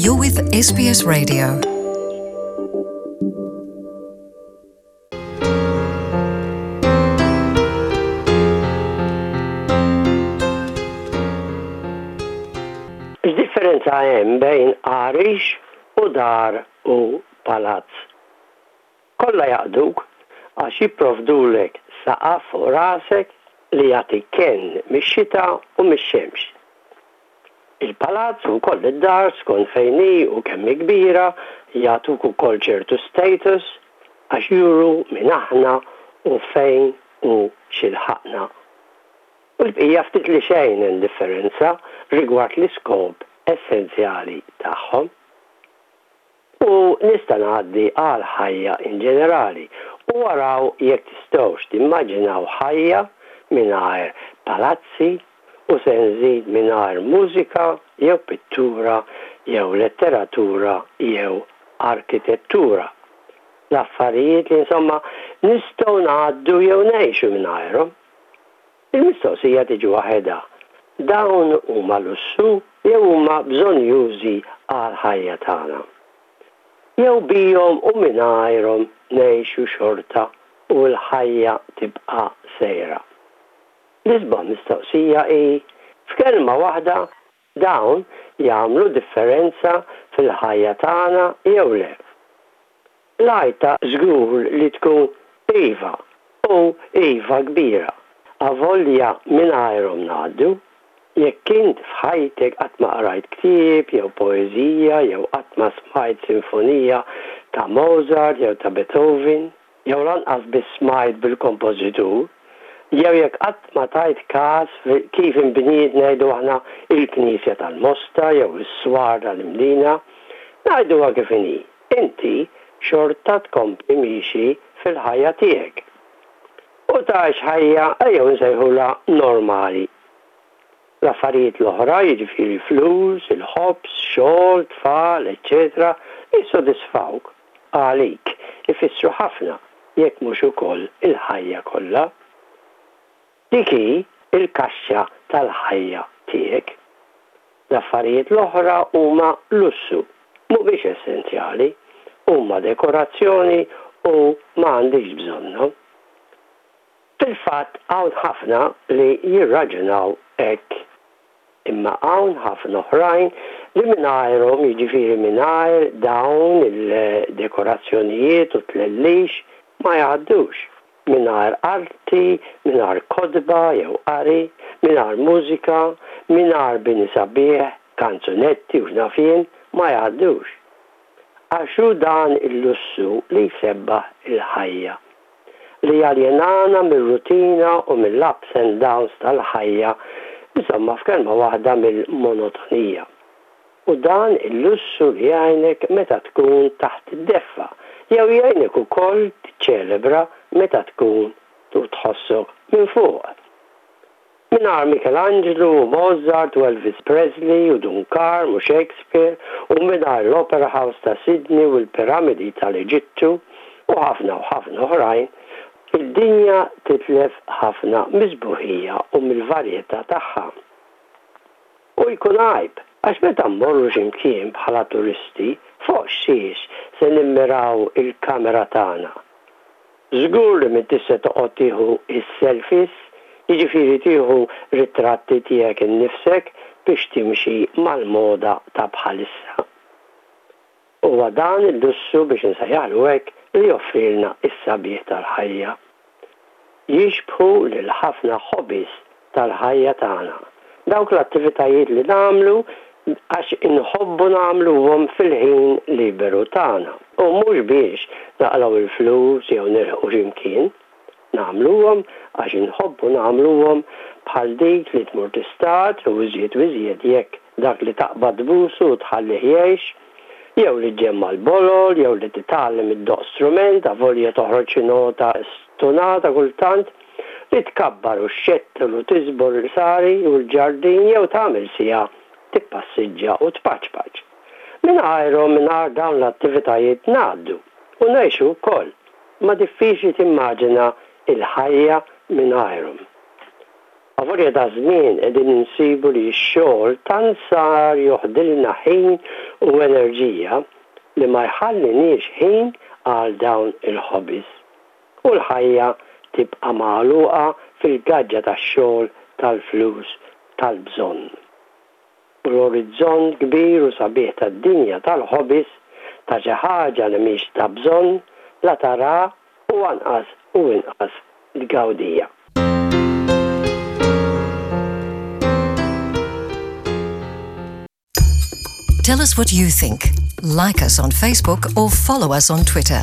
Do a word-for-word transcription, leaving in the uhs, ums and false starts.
You're with S B S Radio. X'differenza hemm bejn għarix u dar u palazz? Kollha jaqduk għax jipprovdulek saqaf fuq rasek li jagħti kenn mix-xita u mix-xemx. Il-palazz u wkoll id-dar, skont fejn hi u kemm hi kbira, jagħtuk ukoll ċertu status għax juru min aħna u fejn u x'ilħaqna. U l-bqija ftit li xejn hemm differenza rigward l-iskop essenzjali tagħhom. U nista' ngħaddi għal ħajja in ġenerali u araw jekk tistgħux timmaġinaw ħajja mingħajr palazzi, u se nżid mingħajr mużika jew pittura jew letteratura jew arkitettura. L-affarijiet li, insomma, nistgħu ngħaddu jew ngħixu mingħajrhom. Il-mistoqsija tiġi waħedha. Dawn huma lussu jew huma bżonnjużi għal ħajja tagħna? Jew bihom u mingħajrhom ngħixu xorta u l-ħajja tibqa' sejra? L-isbaħ mistoqsija hi, f'kelma waħda, dawn jagħmlu differenza fil-ħajja tagħna jew le? L-għajta żgur li tkun iva, u iva kbira. Avolja mingħajrhom ngħaddu. Jekk int f'ħajtek qatt ma qrajt ktieb jew poeżija jew qatt ma smajt sinfonija ta' Mozart jew ta' Beethoven, jew lanqas biss smajt bil-kompożitur, jew jekk qatt ma tajt każ kif inbniet, ngħidu aħna, il-Knisja tal-Mosta jew is-Swar tal-Imdina, ngħiduha kif inhi, inti xorta tkompli miexi fil-ħajja tiegħek. U tgħix ħajja ejjew nsejħulha normali. L-affarijiet l-oħra, jiġifieri flus, il-ħobż, xogħol, tfal, eċċetera, jissodisfawk, għalik ifissru ħafna, jekk mhux ukoll il-ħajja kollha. Dik hi il-kaxxa tal-ħajja tiegħek. L-affarijiet l-oħra huma lussu, mhumiex essenzjali, huma dekorazzjoni u ma għandikx bżonnhom. Fil-fatt hawn ħafna li jirraġunaw hekk. Imma hawn ħafna oħrajn li mingħajrhom, jiġifieri mingħajr dawn il-dekorazzjonijiet u tlellix, ma jgħaddux. Mingħajr arti, mingħajr kotba jew qari, mingħajr mużika, mingħajr bini sabiħ, kanzunetti u x'naf jien, ma jgħaddux. Għax hu dan il-lussu li jsebbaħ il-ħajja, li jaljenana mir-rutina u mill-ups and downs tal-ħajja, insomma, f'kelma waħda, mill-monotonija. U dan il-lussu li jgħinek meta tkun taħt id-deffa, jew jgħinek ukoll tiċċelebra meta tkun tu tħossok minn fuq. Mingħajr Michelangelo u Mozart u Elvis Presley u Dun Karm u Shakespeare u mingħajr l-Opera House ta' Sydney u l-Piramidi tal-Eġittu u ħafna u ħafna oħrajn, id-dinja titlef ħafna mis-sbuħija u mill-varjetà tagħha. U jkun għajb, għax meta mmorru x'imkien bħala turisti, fuq xiex se nimmiraw il-kamera tagħna? Żgur li m'intix se toqgħod tieħu is-selfies, jiġifieri tieħu ritratti tiegħek innifsek biex timxi mal-moda ta' bħalissa. Huwa dan il-lussu, biex nsejjaħlu hekk, li joffrilna is-sabiħ tal-ħajja. Jixbħu lil ħafna hobbies tal-ħajja tagħna. Dawk l-attivitajiet li nagħmlu għax inħobbu nagħmluhom fil-ħin liberu tagħna. U mhux biex naqilgħu il-flus jew nilħqu x'imkien. Nagħmluhom għax inħobbu nagħmluhom, bħal dik li tmur tistad, u iżjed u iżjed jekk dak li taqbad tbusu u tħallih jgħix, jew li ġġemma' l-bolol, jew li titgħallem iddoqq strument, avolja toħroġ xi nota stunata kultant, li tkabbar u xxettel u tiżbor il-sari u l-ġardin jew tagħmel siegħa tippassiġġa u tpaċpaċ. Mingħajrhom, mingħajr dawn l-attivitajiet, ngħaddu u ngħixu wkoll, imma diffiċli timmaġina il-ħajja mingħajrhom. Avolja daż-żmien qegħdin insibu li x-xogħol tant sar joħdilna ħin u enerġija li ma jħalliniex ħin għal dawn il-hobbies. U l-ħajja tibqa' magħluqa fil-gaġġa tax-xogħol, tal-flus, tal-bżonn. U l-orizzont kbir u sabiħ tad-dinja tal-hobbies, ta' xi ħaġa li mhix ta' bżonn, la tara u anqas u inqas tgawdija. Tell us what you think. Like us on Facebook or follow us on Twitter.